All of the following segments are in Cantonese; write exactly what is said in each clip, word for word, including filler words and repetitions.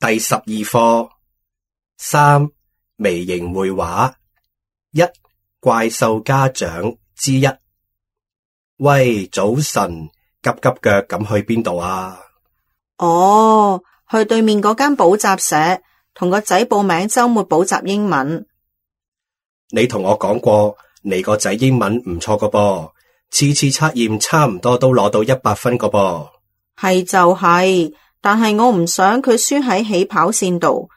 第十二課三微型繪畫一怪獸家長之一。喂，早晨，急急腳咁去邊度啊？哦，去對面嗰間補習社，同個仔報名周末補習英文。你同我講過，你個仔英文唔錯個噃，次次測驗差唔多都攞到一百分個噃。係就係，但係我唔想佢輸喺起跑線度，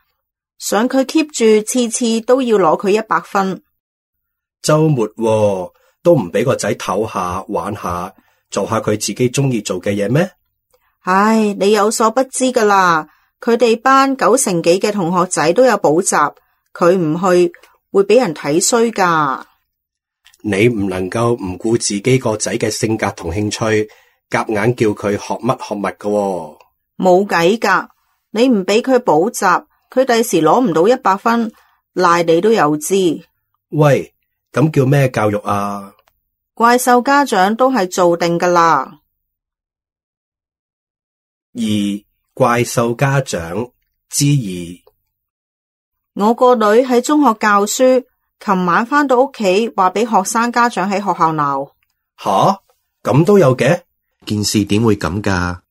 想佢 keep 住次次都要攞佢一百分。周末喎，都唔俾個仔唞下玩下，做下佢自己中意做嘅嘢咩？唉，你有所不知噶啦，佢哋班九成幾嘅同學仔都有補習，佢唔去會俾人睇衰噶。你唔能夠唔顧自己個仔嘅性格同興趣，夾硬叫佢學乜學乜噶喎。冇計噶，你唔俾佢補習，佢第時攞唔到一百分，賴你都有知。喂，咁叫咩教育啊？怪獸家長都係做定噶啦。二怪獸家長之二。我個女喺中學教書，琴晚返到屋企話俾學生家長喺學校鬧。吓？咁都有嘅？件事點會咁噶？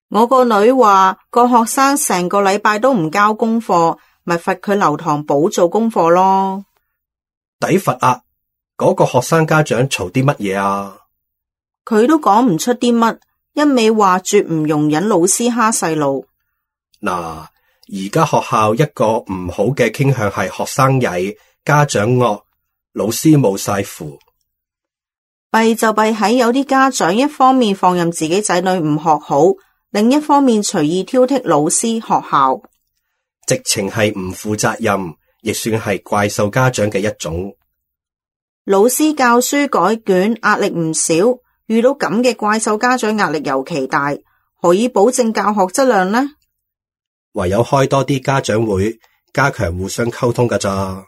我個女話個學生成個禮拜都唔交功課，咪罰佢留堂補做功課咯。抵罰啊！嗰個學生家長嘈啲乜嘢啊？佢都講唔出啲乜，一味話絕唔容忍老師蝦細路。嗱，而家學校一個唔好嘅傾向係學生曳，家長惡，老師冇晒符。弊就弊喺有啲家長一方面放任自己仔女唔學好，另一方面隨意挑剔老師學校，直情係唔負責任，亦算係怪獸家長嘅一種。老師教書改卷壓力唔少，遇到咁嘅怪獸家長壓力尤其大，何以保證教學質量呢？唯有開多啲家長會，加強互相溝通㗎咋。